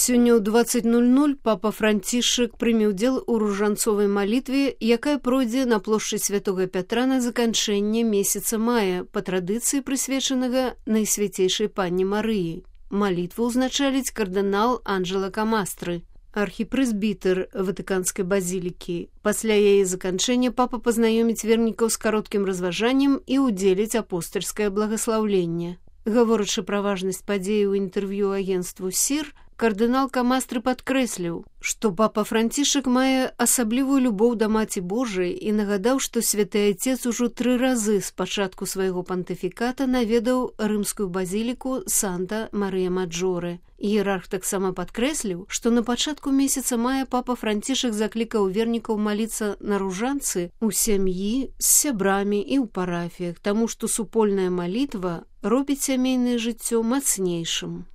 Сёння ў 20:00 папа Францішак прыме ўдзел у ружанцовай малітве, якая пройдзе на плошчы Святога Пятра на заканчэнне месяца мая, па традыцыі прысвечанага Найсвяцейшай Панне Марыі. Малітву ўзначаліць кардынал Анджела Камастры, архіпрэзбітэр Ватыканскай базілікі. Пасля яе заканчэння папа пазнаёміць вернікаў з кароткім разважаннем і ўдзеліць апостальскае благаслаўленне. Гаворачы пра важнасць падзеі ў інтэрв'ю агенству «Сір», кардынал Камастры падкрэсліў, што папа Францішак мае асаблівую любоў да Маці Божай і нагадаў, што святы Айцец ужо 3 разы з пачатку свайго пантыфіката наведаў рымскую базіліку Санта-Марыя-Маджоре. Іерарх таксама падкрэсліў, што на пачатку месяца мая папа Францішак заклікаў вернікаў маліцца на ружанцы ў сям'і, з сябрамі і ў парафіях, таму што супольная малітва робіць сямейнае жыццё мацнейшым.